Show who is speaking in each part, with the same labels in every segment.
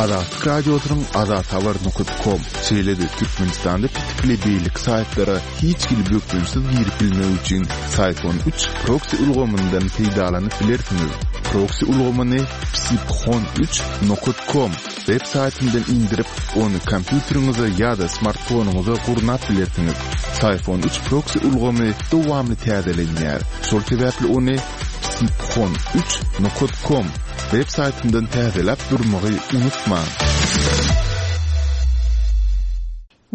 Speaker 1: Azatlyk Radiosynyň azathabar nokat kom, şeýle-de Türkmenistanda petikli beýleki saýtlara hiç hili bökdençsiz girip bilmek üçin Syfon üç proksi ulgamyndan peýdalanyp bilersiňiz. Proksi ulgamyny psiphon üç nokat kom web saýtyndan indirip, ony kompýuteriňize ýa-da smartfonyňyza gurnap bilersiňiz. Syfon üç proksi ulgamy dowamly täzelenýär, şol sebäpli ony psiphon üç nokat kom web saýtyndan täzeläp durmagy unutmaň.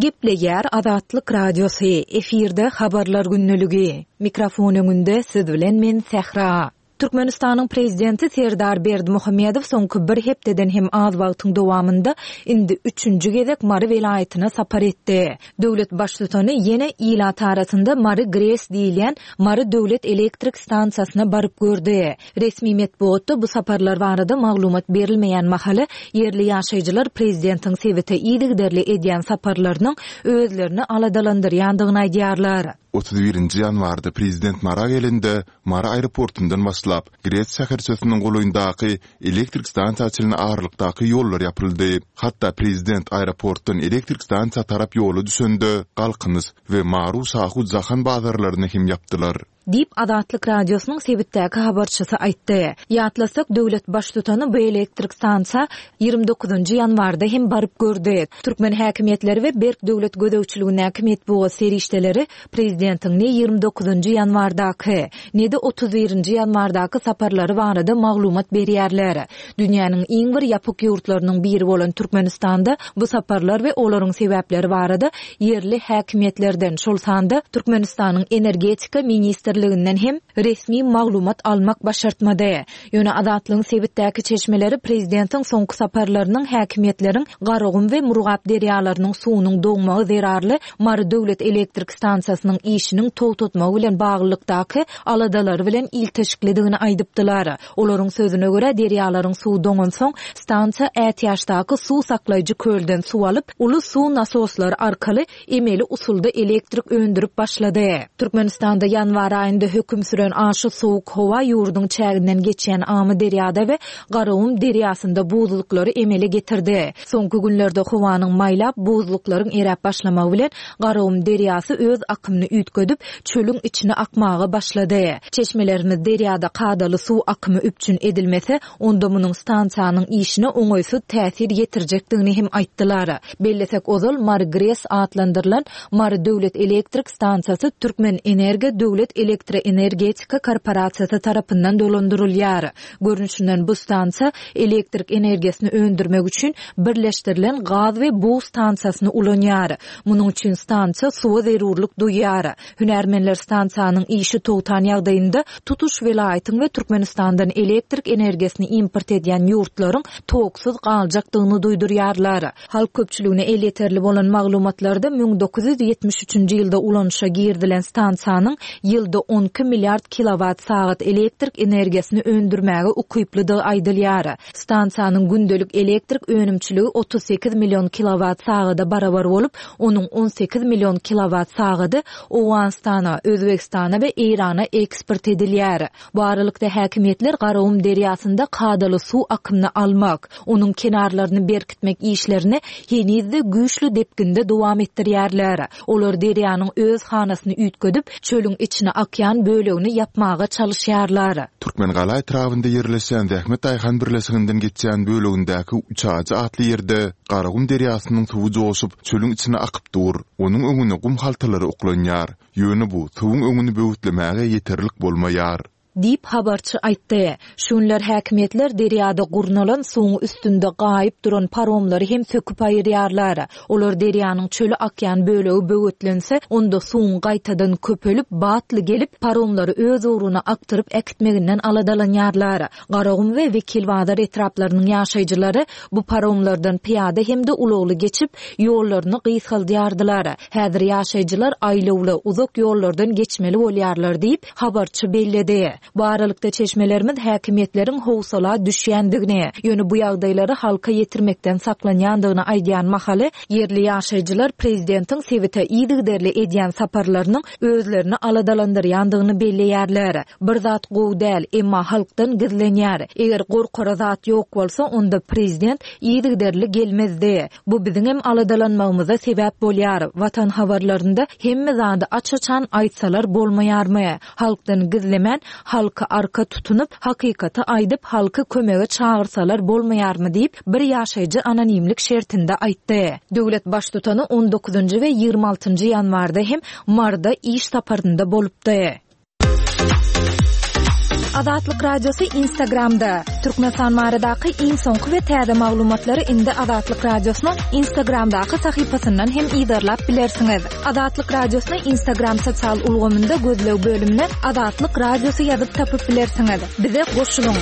Speaker 2: Gepleýär Azatlyk Radiosy, efirde Habarlar gündeligi. Mikrofon öňünde siz bilen men Sähra. Türkmenistanyň Prezidenti Serdar Berdimuhamedow soňky bir hepdeden hem az wagtyň dowamynda indi üçünji gezek Mary welaýatyna sapar etdi. Döwlet Baştutany ýene ilat arasynda Mary GRES diýilýän Mary döwlet elektrik stansiýasyna baryp gördi. Resmi metbugatda bu saparlar barada maglumat berilmeýän mahaly, ýerli ýaşaýjylar prezidentiň sebite yzygiderli edýän saparlarynyň özlerini aladalandyrýandygyny aýdýarlar.
Speaker 1: 31-nji ýanwarda prezident Mara gelende, Mary aeroportundan başlap, GRES şäherçesiniň golaýyndaky elektrik stansiýa çenli aralykdaky ýollar ýapyldy. Hatda prezident aeroportdan elektrik stansiýa tarap ýola düşende, Galkynyş we Maru-Şahu Jahan bazarlaryny hem ýapdylar.
Speaker 2: Diýip, Azatlyk Radiosynyň sebitdäki habarçysy aýtdy. Ýatlasak, döwlet Baştutany bu elektrik stansiýa 29-njy ýanwarda hem baryp gördi. Türkmen häkimiýetleri we berk döwlet gözegçiligindäki metbugat serişdeleri prezidentiň ne 29-njy ýanwardaky, ne-de 31-nji ýanwardaky saparlary barada maglumat berýärler. Dünýäniň iň bir ýapyk ýurtlarynyň biri bolan Türkmenistanda bu saparlar we olaryň sebäpleri barada ýerli häkimiýetlerden, şol sanda Türkmenistanyň Energetika ministrliginden hem resmi maglumat almak başartmady. Ýöne Azatlygyň sebitdäki çeşmeleri prezidentiň soňky saparlarynyň häkimiýetleriň Garagum we Murgap derýalarynyň suwunyň doňmagy zerarly Mary döwlet elektrik stansiýasynyň işiniň togtatmagy bilen baglylykdaky aladalary bilen ilteşiklidigini aýdypdylar. Olaryň sözüne görä, derýalaryň suwy doňansoň, stansiýa ätiýaçdaky suw saklaýjy kölden suw alyp, uly suw nasoslary arkaly emeli usulda elektrik öndürip başlady. Türkmenistanda ýanwar aýynda höküm süren aşa sowuk howa ýurduň çäginden geçýän Amyderýada we Garagum derýasynda buzluklary emele getirdi. Soňky günlerde howanyň maýlap, buzluklaryň eräp başlamagy bilen Garagum derýasy öz akymyny üýtgedip, çölüň içine akmaga başlady. Çeşmelerimiz derýada kadaly suw akymy üpjün edilmese, onda munuň stansiýanyň işine oňaýsyz täsir ýetirjekdigini hem aýtdylar. Bellesek, ozal Mary GRES atlandyrylan Mary döwlet elektrik stansiýasy Türkmenenergo döwlet elektroenergetika korporasiýasy tarapyndan dolandyrylýar. Görnüşinden, bu stansiýa elektrik energiýasyny öndürmek üçin birleşdirilen gaz we bug stansiýasyny ulanýar. Munuň üçin stansiýa suwa zerurlyk duýýar. Hünärmenler stansiýanyň işi togtan ýagdaýynda tutuş welaýatyň we Türkmenistandan elektrik energiýasyny import edýän ýurtlaryň toksuz galjakdygyny duýdurýarlar. Halk köpçüligine elýeterli bolan maglumatlarda 1973-nji ýylda ulanyşa girizilen stansiýanyň ýylda 12 milliard kilowat sagat elektrik energiýasyny öndürmäge ukyplydygy aýdylýar. Stansiýanyň gündelik elektrik önümçiligi 38 million kilowat sagada barabar bolup, onuň 18 million kilowat sagady Owganystana, Özbegistana we Eýrana eksport edilýär. Bu aralykda, häkimiýetler Garagum derýasynda kadaly suw akymyny almak, onuň kenarlaryny berkitmek işlerini heniz-de güýçli depginde dowam etdirýärler. Olar derýanyň öz hanasyny üýtgedip, çölüň içine akýan bölegini ýapmaga çalyşýarlar.
Speaker 1: Türkmengala etrabynda ýerleşýän Zähmet daýhan birleşiginden geçýän bölegindäki Üçajy atly ýerde Garagum derýasynyň suwy joşup, çölüň içine akyp dur. Onuň öňüne gum haltalary oklanýar. Ýöne bu suwuň öňüni böwütlemäge ýeterlik bolmaýar.
Speaker 2: Diýip, habarçy aýtdy. Şu günler häkimiýetler derýada gurnalan, suwuň üstünde gaýyp duran paromlary hem söküp aýyrýarlar. Olar derýanyň çöle akýan bölegi böwetlense, onda suwuň gaýtadan köpelip, batly gelip, paromlary öz ugruna akdyryp äkitmeginden aladalanýarlar. Garagum we Wekilbazar etraplarynyň ýaşaýjylary bu paromlardan pyýada hem-de ulagly geçip, ýollaryny gysgaldýardylar. Häzir ýaşaýjylar aýlawly, uzak ýollardan geçmeli bolýarlar diýip, habarçy belledi. Bu aralykda çeşmelerimiz häkimiýetleriň howsala düşýändigini, ýöne bu ýagdaýlary halka ýetirmekden saklanýandygyny aýdýan mahaly, ýerli ýaşaýjylar prezidentiň sebite yzygiderli edýän saparlarynyň özlerini aladalandyrýandygyny belleýärler. Bir zat gowy däl, emma halkdan gizlenýär. Eger gorkara zat ýok bolsa, onda prezident yzygiderli gelmezdi. Bu biziňem aladalanmagymyza sebäp bolýar. Watan habarlarynda hemme zady aç-açan aýtsalar bolmaýarmy? Halkdan gizlemän, halky arka tutunyp, hakykaty aýdyp, halky kömege çagyrsalar bolmaýarmy diýip, bir ýaşaýjy anonimlik şertinde aýtdy. Döwlet Baştutany on dokuzynjy we 26 njy ýanwarda hem Maryda iş saparynda bolupdy. Azatlyk Radiosy Instagramda, Türkmenistan baradaky iň soňky we täze maglumatlary indi Azatlyk Radiosynyň Instagramdaky sahypasyndan hem yzarlap bilersiňiz. Azatlyk Radiosyny Instagram sosial ulgamynda gözleg bölümine Azatlyk Radiosy ýazyp tapyp bilersiňiz. Bize goşulyň!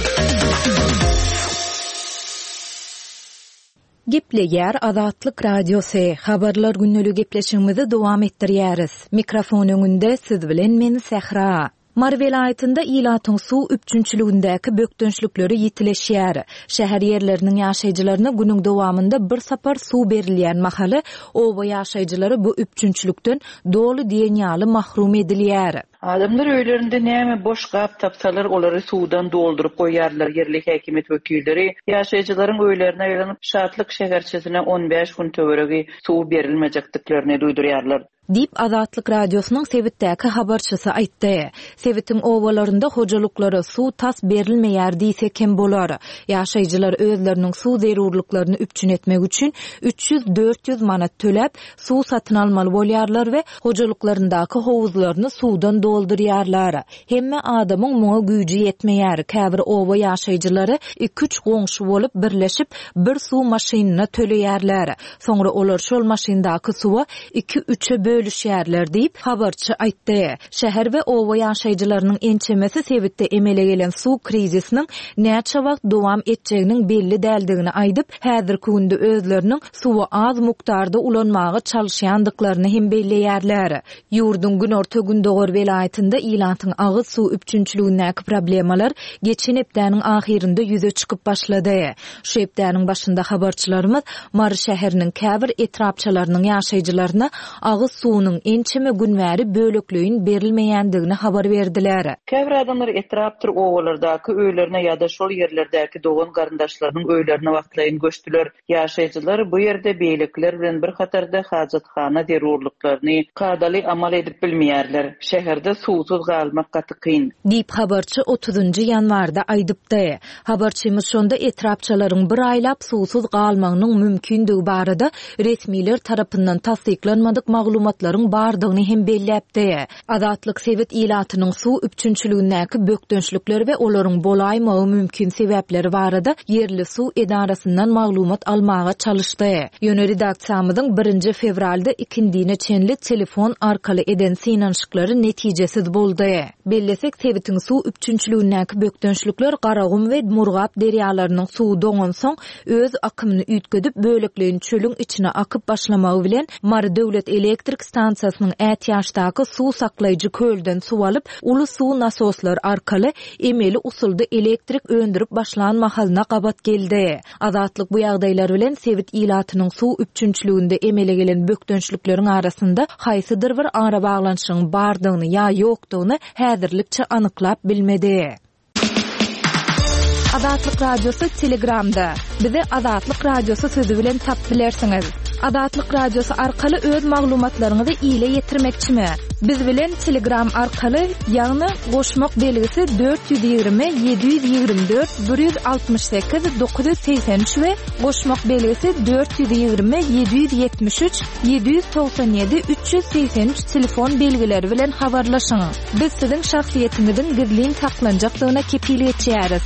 Speaker 2: Gepleýär Azatlyk Radiosy, Habarlar gündeligi gepleşigimizi dowam etdirýäris. Mikrofon öňünde siz bilen men Sähra. Mary welaýatynda ilatyň suw üpjünçiligindäki bökdençlikleri ýitileşýär. Şäher ýerleriniň ýaşaýjylaryna günüň dowamynda bir sapar suw berilýän mahaly, oba ýaşaýjylary bu üpjünçilikden doly diýen ýaly mahrum edilýär.
Speaker 3: Adamlar öýlerinde näme boş gap tapsalar, olary suwdan dolduryp goýýarlar. Ýerli häkimiýet wekilleri ýaşaýjylaryň öýlerine aýlanyp, Şatlyk şäherçesine on bäş gün töweregi suw berilmejekdiklerini duýdurýarlar.
Speaker 2: Diýip, Azatlyk Radiosynyň sebitdäki habarçysy aýtdy. Sebitiň obalarynda hojalyklara suw tas berilmeýär diýsek hem bolar. Ýaşaýjylar özleriniň suw zerurlyklaryny üpjün etmek üçin 300-400 manat töläp, suw satyn almaly bolýarlar we hojalyklaryndaky howuzlaryny suwdan doldurýarlar. Hemme adamyň muňa güýji ýetmeýär. Käbir oba ýaşaýjylary iki-üç goňşy bolup birleşip, bir suw maşynyna töleýärler. Soňra olar şol maşyndaky suwa iki-üçe bölüşýärler diýip, habarçy aýtdy. Şäher we oba ýaşaýjylarynyň ençemesi sebitde emele gelen suw krizisiniň näçe wagt dowam etjeginiň belli däldigini aýdyp, häzirki günde özleriniň suwy az mukdarda ulanmaga çalyşýandyklaryny hem belleýärler. Ýurduň günorta-gündogar welaýatynda ilatyň agyz suw üpjünçiligindäki problemalar geçen hepdäniň ahyrynda ýüze çykyp başlady. Şu hepdäniň başynda habarçylarymyz Mary şäheriniň käbir etrapçalarynyň ýaşaýjylaryna agyz suwunyň ençeme gün bäri bölekleýin berilmeýändigini habar berdiler.
Speaker 3: Käbir adamlar etrapdyr obalardaky öýlerine ýa-da şol ýerlerdäki dogan-garyndaşlarynyň öýlerine wagtlaýyn göçdüler. Ýaşaýjylar bu ýerde beýlekiler bilen bir hatarda hajathana zerurlyklaryny kadaly amal edip bilmeýärler. Şäherde suwsuz galmak gaty kyn.
Speaker 2: Diýip, habarçy otuzynjy ýanwarda aýdypdy. Habarçymyz şonda etrapçalaryň bir aýlap suwsuz galmagynyň mümkindigi barada resmiler tarapyndan tassyklanmadyk maglumatlaryň bardygyny hem belläpdi. Azatlyk sebit ilatynyň suw üpjünçiligindäki bökdençlikler we olaryň bolaýmagy mümkin sebäpleri barada ýerli suw edarasyndan maglumat almaga çalyşdy. Ýöne redaksiýamyzyň birinji fewralda ikindine çenli telefon arkaly eden synanyşyklary netijesiz boldy. Bellesek, sebitiň suw üpjünçiligindäki bökdençlikler Garagum we Murgap derýalarynyň suwy doňansoň, öz akymyny üýtgedip, bölekleýin çölüň içine akyp başlamagy bilen, Mary döwlet elektrik stansiýasynyň ätiýaçdaky suw saklaýjy kölden suw alyp, uly suw nasoslary arkaly emeli usulda elektrik öndürip başlan mahalyna gabat geldi. Azatlyk bu ýagdaýlar bilen sebit ilatynyň suw üpjünçiliginde emele gelen bökdençlikleriň arasynda haýsydyr bir arabaglanyşygyň bardygyny ýa ýokdugyny häzirlikçe anyklap bilmedi. Azatlyk Radiosy Telegramda. Bizi Azatlyk Radiosy sözi bilen tapyp bilersiňiz. Azatlyk Radiosy arkaly öz maglumatlaryňyzy ile ýetirmekçimi? Biz bilen Telegram arkaly, ýagny goşmak belgisi 420 724 168 983 we goşmak belgisi 420 773 797 383 telefon belgileri bilen habarlaşyň. Biz siziň şahsyýetiňiziň gizlin saklanjakdygyna kepil geçýäris.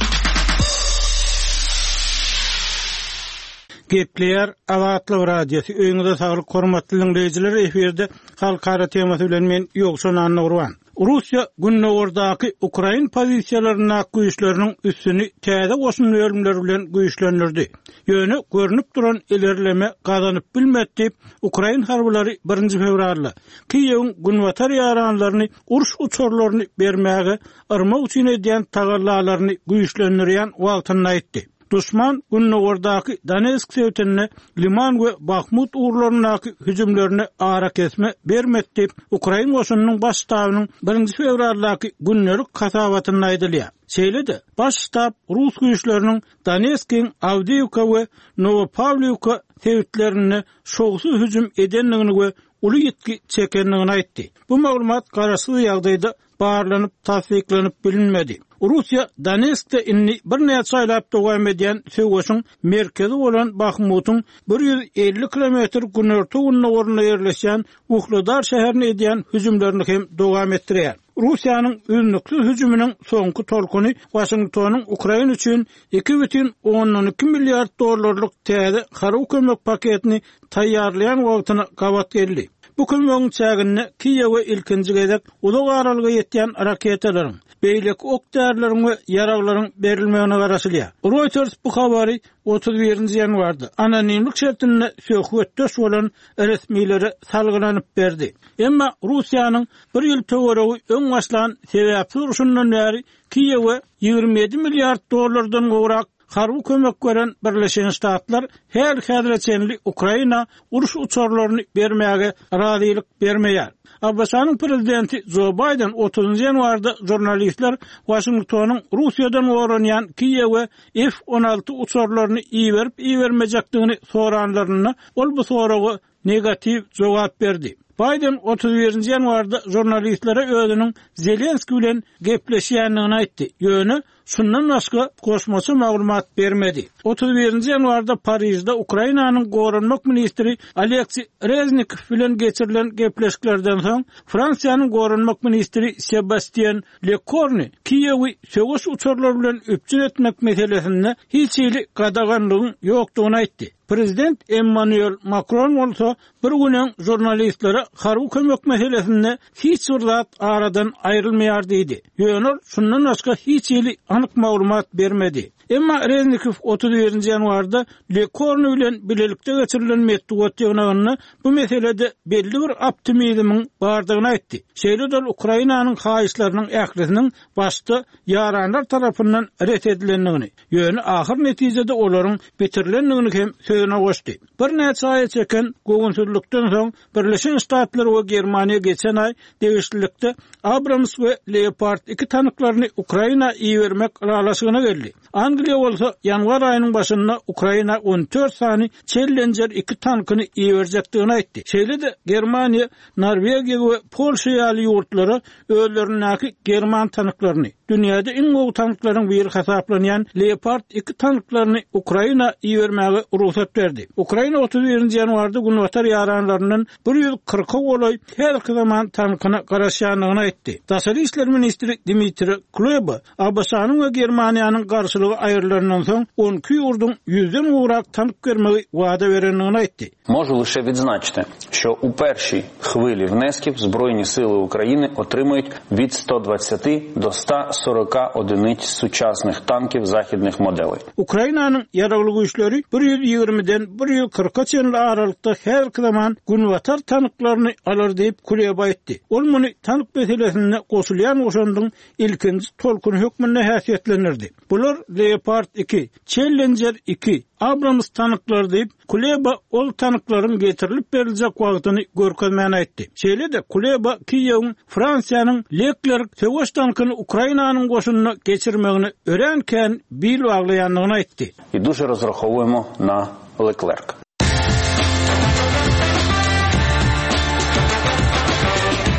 Speaker 4: Gepleýär Azatlyk Radiosy, Öýüňize saglyk hormatly diňleýjiler, efirde Halkara temasy bilen men Ýowşan Annagurban. Russiýa gündogardaky ukrain pozisiýalaryndaky güýçleriniň üstüni täze goşun bölümleri bilen güýçlendirdi. Ýöne görnüp duran ilerleme gazanyp bilmedi diýip, ukrain harbylary birinji fewralda Kiýewiň günbatar ýaranlaryny uruş uçarlaryny bermäge yrmak üçin edýän tagallalaryny güýçlendirýän wagtynda aýtdy. Duşman gündogardaky Donetsk sebitinde Liman we Bahmut ugurlaryndaky hüjümlerine arakesme bermedi diýip, ukrain goşunynyň baş ştabynyň birinji fewraldaky gündelik hasabatynda aýdylýar. Şeýle-de, baş ştab rus güýçleriniň Donetskiň Awdiýewka we Nowopawliwka sebitlerinde şowsuz hüjüm edendigini we uly ýitgi çekendigini aýtdy. Bu maglumat garaşsyz ýagdaýda barlanyp tassyklanyp bilinmedi. Russiýa Donetskde indi birnäçe aýlap dowam edýän söweşiň merkezi bolan Bahmutyň 150 kilometr günorta-gündogarynda ýerleşýän Uhledar şäherine edýän hüjümlerini hem dowam etdirýär. Russiýanyň üznüksiz hüjüminiň soňky tolkuny Waşingtonyň Ukraina üçin 2,2 milliard dollarlyk täze harby kömek paketini taýýarlaýan wagtyna gabat geldi. Bu kömegiň çäginde Kiýewe ilkinji gezek uzak aralyga ýetýän raketalaryň, beýleki ok-därileriň we ýaraglaryň berilmegine garaşylýar. Reuters bu habary 31 nji ýanwarda anonimlik şertinde söhbetdeş bolan resmilere salgylanyp berdi. Emma Russiýanyň bir ýyl töweregi öň başlan sebäpsiz urşundan bäri Kiýewe 27 milliard dollardan gowrak Harby kömek beren Birleşen Ştatlar häli-häzire çenli Ukraina uruş uçarlaryny bermäge razylyk bermeýär. ABŞ-nyň prezidenti Jo Baýden otuzynjy ýanwarda žurnalistler Waşingtonyň Russiýadan goranýan Kiýewe F-on alty uçarlaryny iberip-ibermejekdigini soranlarynda, ol bu soraga negatiw jogap berdi. Baýden 31-nji ýanwarda žurnalistlere özüniň Zelenskiý bilen gepleşýändigini aýtdy, ýöne şundan başga goşmaça maglumat bermedi. 31-nji ýanwarda Parižde Ukrainanyň goranmak ministri Oleksiý Reznikow bilen geçirilen gepleşiklerden soň, Fransiýanyň goranmak ministri Sebastýen Lekorni Kiýewi söweş uçarlary bilen üpjün etmek meselesinde hiç hili gadaganlygyň ýokdugyny aýtdy. Prezident Emmanuel Makron bolsa bir gün öň žurnalistlere harby kömek meselesinde hiç bir zat aradan aýrylmaýar diýdi. Ýöne ol şundan başga hiç hili anyk maglumat bermedi. Emma Reznikow 31-nji ýanwarda Lekorni bilen bilelikde geçirilen metbugat ýygnagynda bu meselede belli bir optimizmiň bardygyny aýtdy. Şeýle-de ol Ukrainanyň haýyşlarynyň ählisiniň başda ýaranlar tarapyndan ret edilendigini, Ýöne ahyr netijede olaryň bitirilendigini hem sözüne goşdy. Birnäçe aýa çeken göwünsizlikden soň Birleşen Ştatlar we Germaniýa geçen aý degişlilikde Abrams we Leopard iki tanklaryny Ukraina ibermek ylalaşygyna geldi. Angliýa bolsa ýanwar aýynyň başynda Ukraina 14 sany Challenger iki tankyny iberjekdigini aýtdy. Şeýle-de Germaniýa Norwegiýa we Polşa ýaly ýurtlara özlerindäki german tanklaryny, dünýäde iň gowy tanklaryň biri hasaplanýan Leopard iki tanklaryny Ukraina ibermäge rugsat berdi. Ukraina 31-nji ýanwarda günbatar ýaranlaryndan 140-a golaý häzirki zaman tankyna garaşýandygyny aýtdy. Daşary işler ministri Dmitriý Kuleba ABŞ-nyň we Germaniýanyň garşylygy aýrylandan soň 12 ýurduň ýüzden gowrak tank bermegi wada berendigini aýtdy.
Speaker 5: Можу лише відзначити, що у першій хвилі внесків Збройні сили України отримають від 120 до 140 одиниць сучасних танків західних моделей.
Speaker 4: Ukrainanyň Ýaragly Güýçleri bir ýüz ýigrimiden bir ýüz kyrka çenli aralykda häzirki zaman Günbatar tanklaryny alar diýip, Kuleba aýtdy. Ol muny tank meselesinde goşulýan goşandyň ilkinji tolkuny hökmünde häsiýetlendirdi. Bular Leopard iki, Challenger iki, Abrams tanklary diýip, Kuleba ol tanklaryň getirilip beriljek wagtyny görkezmän aýtdy. Şeýle-de, Kuleba Kiýewiň Fransiýanyň Leclerc söweş tankyny Ukrainanyň goşunyna geçirmegine örän kän bil baglaýandygyny aýtdy.
Speaker 5: І дуже розраховуємо на Leclerc.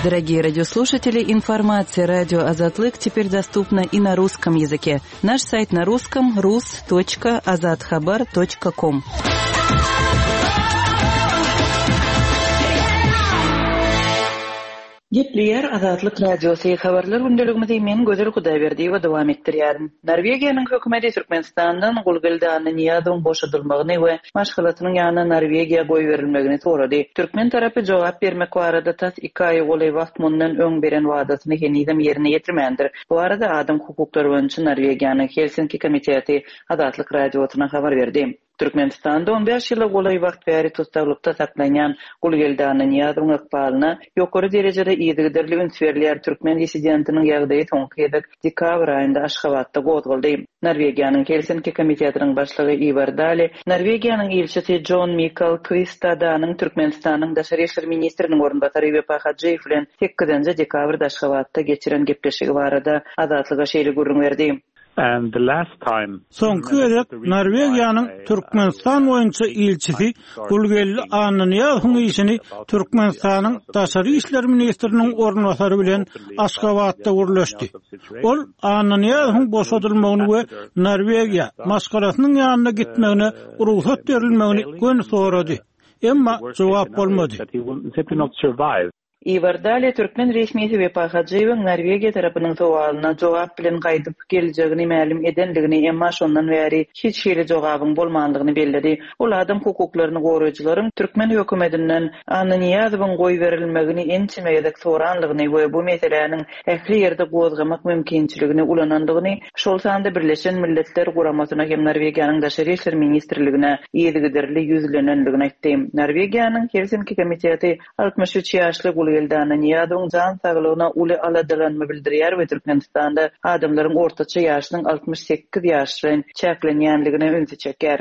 Speaker 3: Дорогие радиослушатели, информация радио Азатлык теперь доступна и на русском языке. Наш сайт на русском rus.azathabar.com. Gepleýär Azatlyk Radiosy, Habarlar gündeligimizi men Gözel Hudaýberdiýewa dowam etdirýärin. Norwegiýanyň hökümeti Türkmenistandan Gulgeldi Annanyýazowyň boşadylmagyny we maşgalasynyň ýanyna Norwegiýa goýberilmegini sorady. Türkmen tarapy jogap bermek barada tas iki aýa golaý wagt mundan öň beren wadasyny henizem ýerine ýetirmändir. Bu barada Adam hukuklary boýunça Norwegiýanyň Helsinki komiteti Azatlyk Radiosyna habar berdi. Türkmenistanda on bäş ýyla golaý wagt bäri tussaglykda saklanýan Gulgeldi Annanyýazowyň ykbalyna ýokary derejede yzygiderli üns berilýär. Türkmen dissidentiniň ýagdaýy soňky gezek dekabr aýynda Aşgabatda gozgaldy. Norwegiýanyň Helsinki komitetiniň başlygy Iwar Dali, Norwegiýanyň ilçisi Jon Mikal Kwistadanyň Türkmenistanyň daşary işler ministriniň orunbasary Wepa Hajyýew bilen sekizinji dekabrda Aşgabatda geçiren gepleşigi barada Azatlyga şeýle gürrüň berdi.
Speaker 4: Soňky gezek Norwegiýanyň Türkmenistan boýunça ilçisi Gulgeldi Annanyýazowyň işini Türkmenistanyň daşary işler ministriniň orunbasary bilen Aşgabatda gürleşdi. Ol Annanyýazowyň boşadylmagyny we Norwegiýa, maşgalasynyň ýanyna gitmegine rugsat berilmegini göni sorady. Emma jogap bolmady.
Speaker 3: Iwar Dale türkmen resmisi Wepa Hajyýewiň Norwegiýa tarapynyň sowalyna jogap bilen gaýdyp geljegini mälim edendigini, emma şondan bäri hiç hili jogabyň bolmandygyny belledi. Ol adam hukuklaryny goraýjylaryň türkmen hökümetinden Annanyýazowyň goýberilmegini ençeme gezek sorandygyny we bu meseläniň ähli ýerde gozgamak mümkinçiligini ulanandygyny, şol sanda Birleşen Milletler Guramasyna hem Norwegiýanyň Daşary işler ministrligine yzygiderli ýüzlenendigini aýtdy. Norwegiýanyň Helsinki komiteti 63 ýaşly Gulgeldi Annanyýazowyň jan saglygyna uly aladalanma bildirýär we Türkmenistanda adamlaryň ortaça ýaşynyň 68 ýaş bilen çäklenýändigine ünsi çekýär.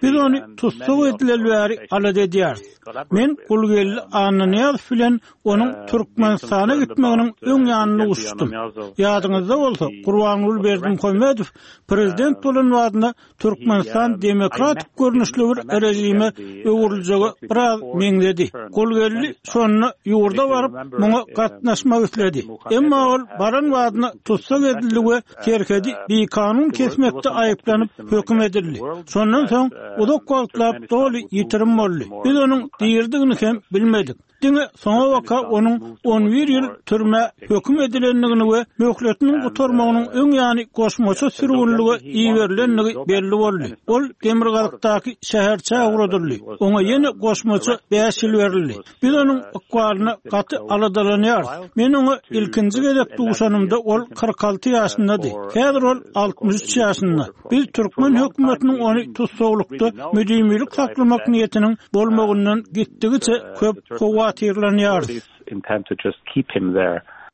Speaker 4: Biz ony tussag edileli bäri alada edýäris. Men Gulgeldi Annanyýazow bilen onuň Türkmenistana gitmeginiň öň ýanynda duşuşdym. Ýadyňyzda bolsa, Gurbanguly Berdimuhamedow prezident bolan wagtynda Türkmenistan demokratik görnüşli bir režime öwrüljege biraz meňzedi. Gulgeldi şonda ýurda baryp, muňa gatnaşmak isledi. Emma ol baran badyna tussag edildi we serhedi bikanun kesmekde aýyplanyp höküm edildi. Şondan soň uzak wagtlap doly ýitirim boldy. Biz onuň diridigini hem bilmedik. Diňe soňabaka onuň on bir ýyl türmä höküm edilendigini we möhletiniň gutarmagynyň öň ýany goşmaça sürgünlige iberilendigi belli boldy. Ol demirgazykdaky şäherçä ugradyldy. Oňa ýene goşmaça bäş ýyl berildi. Biz onuň ykbalyna gaty aladalanýarys. Men oňa ilkinji gezek duşanymda ol 46 ýaşyndady. Häzir ol 63 ýaşynda. Biz türkmen hökümetiniň ony tussaglykda müdimilik saklamak niýetiniň bolmagyndan gitdigiçe köp howatyrlanýarys.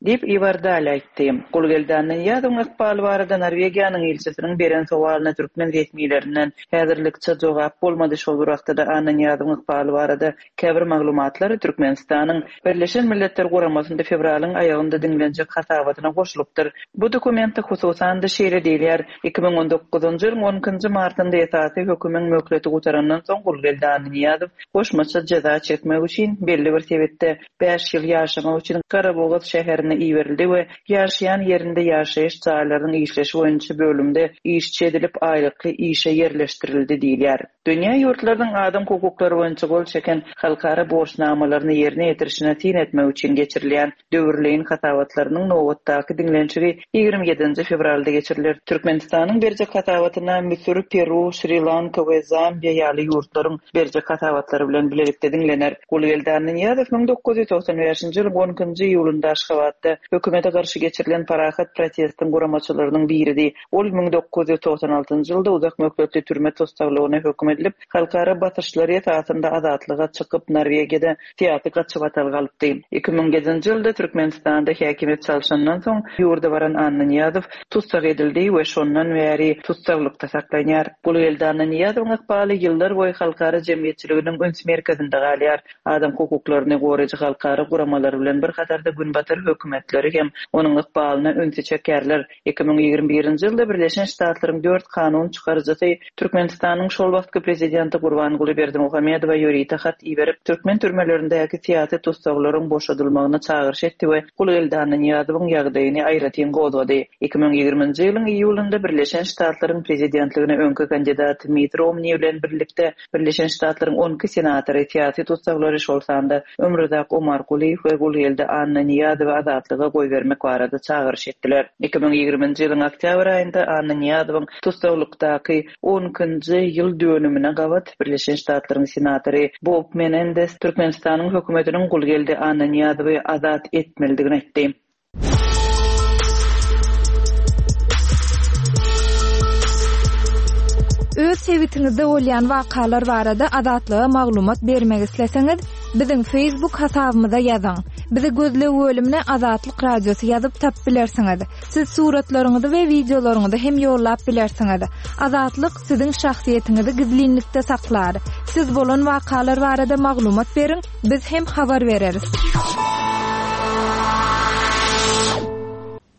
Speaker 3: Diýip, Iwar Dal aýtdy. Gulgeldi Annanyýazowyň ykbaly barada Norwegiýanyň ilçisiniň beren sowalyna türkmen resmilerinden häzirlikçe jogap bolmady. Şol bir wagtda-da Annanyýazowyň ykbaly barada Käbir maglumatlar Türkmenistanyň Birleşen Milletler Guramasynda fewralyň aýagynda diňlenjek hasabatyna goşulypdyr. Bu dokumentde hususan-da şeýle diýilýär, 2019-njy ýylyň on ikinji martynda esasy hökümiň möhleti gutarandan soň Gulgeldi Annanyýazow goşmaça jeza çekmek üçin belli bir sebitde bäş ýyl ýaşamak üçin Garabogaz şäherine iberildi we ýaşaýan ýerinde ýaşaýyş jaýlarynyň işleşi boýunça bölümde işçi edilip aýlykly işe ýerleşdirildi diýilýär. Dünýä ýurtlarynyň adam hukuklary boýunça gol çeken halkara borçnamalaryny ýerine ýetirişine syn etmek üçin geçirilýän döwürleýin hasabatlarynyň nobatdaky diňlenişigi 27-nji fewralda geçiriler. Türkmenistanyň berjek hasabatyna Müsür, Peru, Şri-Lanka we Zambiýa ýaly ýurtlaryň berjek hasabatlary bilen bilelikde diňlener. Gulgeldi Annanyýazow 1995-nji ýylyň on ikinji iýulynda Aşgabatda hökümete garşy geçirilen parahat protestiň guramaçylarynyň biridi. Ol 1996-njy ýylda uzak möhletli türme tussaglygyna höküm edilip, halkara basyşlary esasynda azatlyga çykyp, Norwegiýada syýasy gaçybatalga alypdy. 2007-nji ýylda Türkmenistanda häkimiýet çalşandan soň, ýurda baran Annanyýazow tussag edildi we şondan bäri tussaglykda saklanýar. Gulgeldi Annanyýazowyň ykbaly ýyllar boýy halkara jemgyýetçiliginiň üns merkezinde galýar. Adam hukuklaryny goraýjy halkara guramalary bilen bir hatarda günbatar höküm. hökümetleri hem onuň ykbalyna ünsi çekýärler. 2021-nji ýylda Birleşen Ştatlaryň dört kanun çykaryjysy Türkmenistanyň şol wagtky prezidenti Gurbanguly Berdimuhamedowa ýörite hat iberip, türkmen türmelerindäki syýasy tussaglaryň boşadylmagyna çagyryş etdi we Gulgeldi Annanyýazowyň ýagdaýyny aýratyn gozgady. 2020-nji ýylyň iýulynda Birleşen Ştatlaryň prezidentligine öňki kandidat Mitt Romni bilen birlikde Birleşen Ştatlaryň 12 senatory syýasy tussaglary, şol sanda Ömruzak Omarkulyýew we Gulgeldi Annanyýazowy azatlyga goýbermek barada çagyryş etdiler. 2020-nji ýylyň oktýabr aýynda Annanyýazowyň tussaglykdaky on ikinji ýyl dönümine gabat Birleşen Ştatlaryň senatory Bob Menendez Türkmenistanyň hökümetiniň Gulgeldi Annanyýazowy azat etmelidigini aýtdy.
Speaker 2: Öz sebitiňizde bolýan wakalar barada Azatlyga maglumat bermek isleseňiz, biziň Facebook hasabymyza ýazyň. Bizi gözleg bölümine Azatlyk Radiosy ýazyp tapyp bilersiňiz. Siz suratlaryňyzy we wideolaryňyzy hem ýollap bilersiňiz. Azatlyk siziň şahsyýetiňizi gizlinlikde saklar. Siz bolan wakalar barada maglumat beriň, biz hem habar bereris.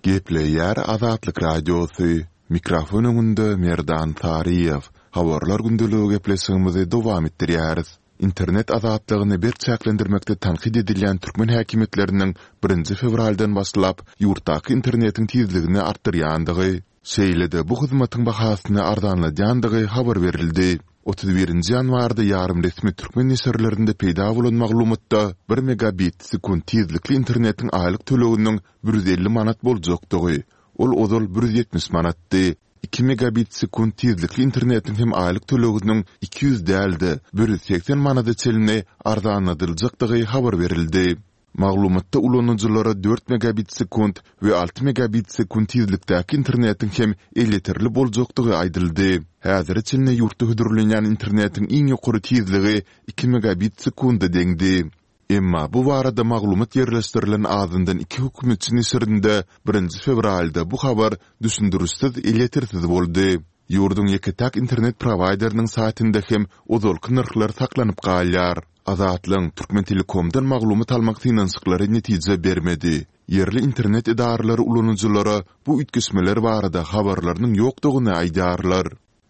Speaker 1: Gepleýär Azatlyk Radiosy, Mikrofon öňünde Merdan Saryýew. Habarlar gündeligi gepleşigimizi dowam etdirýäris. Internet azatlygyny berk çäklendirmekde tankyt edilýän türkmen häkimiýetleriniň birinji fewraldan başlap ýurtdaky internetiň tizligini artdyrýandygy, şeýle-de bu hyzmatyň bahasyny arzanladýandygy habar berildi. 31 nji ýanwarda ýarym resmi türkmen neşirlerinde peýda bolan maglumatda bir megabit sekunt tizlikli internetiň aýlyk töleginiň 150 manat boljakdygy, ol ozal 170 manatdy, Iki megabit sekunt tizlikli internetiň hem aýlyk töleginiň 200 däl-de, 180 manada çenli arzanladyljakdygy habar berildi. Maglumatda ulanyjylara dört megabit sekunt we alty megabit sekunt tizlikdäki internetiň hem elýeterli boljakdygy aýdyldy. Häzire çenli ýurtda hödürlenýän internetiň iň ýokary tizligi iki megabit sekunda deňdi. Emma bu barada maglumat ýerleşdirilen azyndan iki hökümetçi neşirinde birinji fewralda bu habar düşündirişsiz elýetersiz boldy. Ýurduň ýeke-täk internet prowaýderiniň saýtynda hem ozalky nyrhlar saklanyp galýar. Azatlygyň Türkmentelekomdan maglumat almak synanyşyklary netije bermedi. Ýerli internet edaralary ulanyjylara bu üýtgeşmeler barada habarlarynyň ýokdugyny aýdýarlar.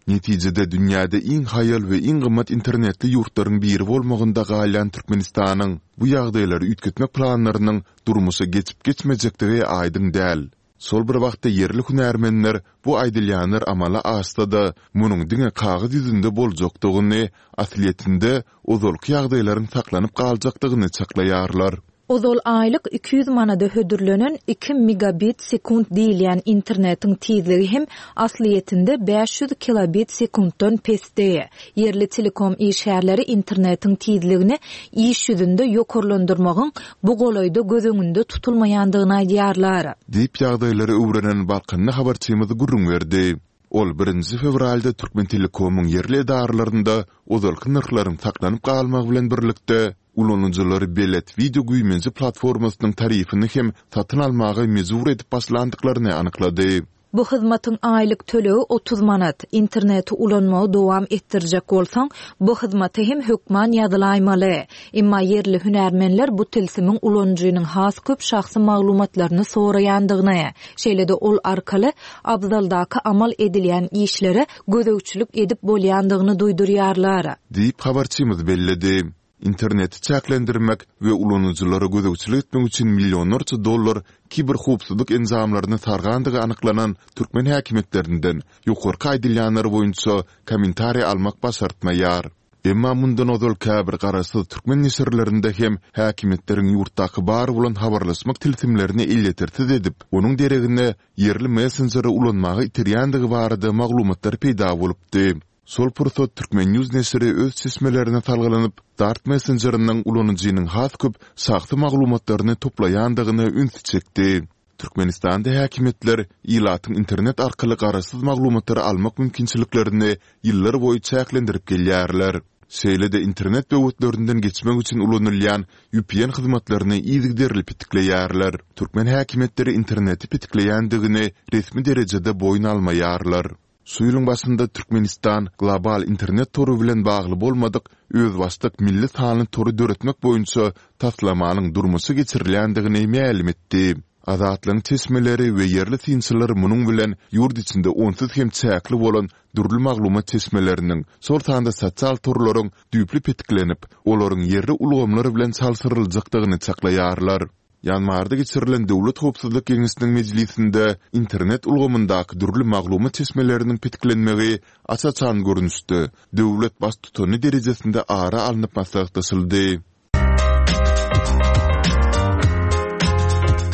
Speaker 1: Netijede dünýäde iň haýal we iň gymmat internetli ýurtlaryň biri bolmagynda galýan Türkmenistanyň bu ýagdaýlary üýtgetmek planlarynyň durmuşa geçip-geçmejekdigi aýdyň däl. Şol bir wagtda ýerli hünärmenler bu aýdylýanlar amala aşsa-da, munuň diňe kagyz ýüzünde boljakdygyny, aslyýetinde ozalky ýagdaýlaryň saklanyp galjakdygyny çaklaýarlar.
Speaker 2: Ozal aýlyk 200 manada hödürlenen iki megabit sekunt diýilýän internetiň tizligi hem aslyýetinde 500 kilobit sekuntdan pesdi. Ýerli telekom işgärleri internetiň tizligini iş ýüzünde ýokarlandyrmagyň bu golaýda göz öňünde tutulmaýandygyny aýdýarlar.
Speaker 1: Diýip, ýagdaýlary öwrenen balkanly habarçymyz gürrüň berdi. Ol birinji fewralda Türkmentelekomyň ýerli edaralarynda ozalky nyrhlaryň saklanyp galmagy bilen birlikde, ulanyjylary Belet wideo güýmenje platformasynyň tarifini hem satyn almaga mejbur edip başlandyklaryny anyklady.
Speaker 2: Bu hyzmatyň aýlyk tölegi 30 manat. Interneti ulanmagy dowam etdirjek bolsaň, bu hyzmata hem hökman ýazylaýmaly. Emma ýerli hünärmenler bu tilsimiň ulanyjynyň has köp şahsy maglumatlaryny soraýandygyny, şeýle-de ol arkaly abzaldaky amal edilýän işlere gözegçilik edip bolýandygyny duýdurýarlar.
Speaker 1: Diýip, habarçymyz belledi. Interneti çäklendirmek we ulanyjylara gözegçilik etmek üçin millionlarça dollar kiberhowpsuzlyk enjamlaryny sargandygy anyklanan türkmen häkimiýetlerinden ýokarky aýdylýanlar boýunça kommentariý almak başartmaýar. Emma mundan ozal käbir garaşsyz türkmen neşirlerinde hem häkimiýetleriň ýurtdaky bar bolan habarlaşmak tilsimlerini elýetersiz edip, onuň deregine ýerli messenjeri ulanmaga iterýändigi barada maglumatlar peýda bolupdy. Şol pursat Turkmen. News neşiri öz çeşmelerine salgylanyp, Dart messenjeriniň ulanyjynyň has köp şahsy maglumatlaryny toplaýandygyna ünsi çekdi. Türkmenistanda häkimiýetler ilatyň internet arkaly garaşsyz maglumatlary almak mümkinçiliklerini ýyllar boýy çäklendirip gelýärler. Şeýle-de internet böwetlerinden geçmek üçin ulanylýan vpn hyzmatlaryny yzygiderli petikleýärler. Türkmen häkimiýetleri interneti petikleýändigini resmi derejede boýun almaýarlar. Şu ýylyň başynda Türkmenistan global internet tory bilen bagly bolmadyk özbaşdak milli sanly tory döretmek boýunça taslamanyň durmuşa geçirilýändigini mälim etdi. Azatlygyň çeşmeleri we ýerli synçylar munuň bilen ýurt içinde onsuz hem çäkli bolan dürli maglumat çeşmeleriniň, şol sanda sosial torlaryň düýpli petiklenip, olaryň ýerli ulgamlar bilen çalşyryljakdygyny çaklaýarlar. Ýanwarda geçirilen Döwlet howpsuzlyk geňeşiniň mejlisinde internet ulgamyndaky dürli maglumat çeşmeleriniň petiklenmegi aç-açan görnüşde döwlet baştutany derejesinde ara alnyp maslahatlaşyldy.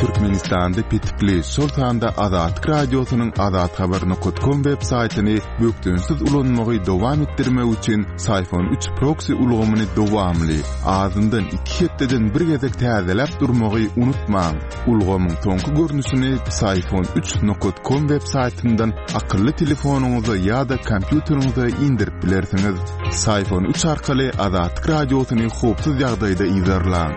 Speaker 1: Türkmenistanda petikli, şol sanda Azatlyk Radiosynyň azathabar nokat kom web saýtyny bökdençsiz ulanmagy dowam etdirmek üçin Syfon üç proksi ulgamyny dowamly, azyndan iki hepdeden bir gezek täzeläp durmagy unutmaň. Ulgamyň soňky görnüşini Syfon üç nokat kom web saýtyndan akylly telefonyňyza ýa-da kompýuteriňize indirip bilersiňiz. Syfon üç arkaly Azatlyk Radiosyny howpsuz ýagdaýda yzarlaň.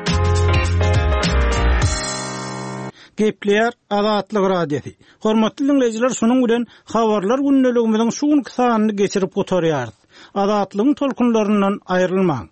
Speaker 4: Gepleýär Azatlyk Radiosy. Hormatly diňleýjiler şunuň bilen Habarlar gündeligimiziň şu günki sanyny geçirip gutarýarys. Azatlygyň tolkunlaryndan aýrylmaň.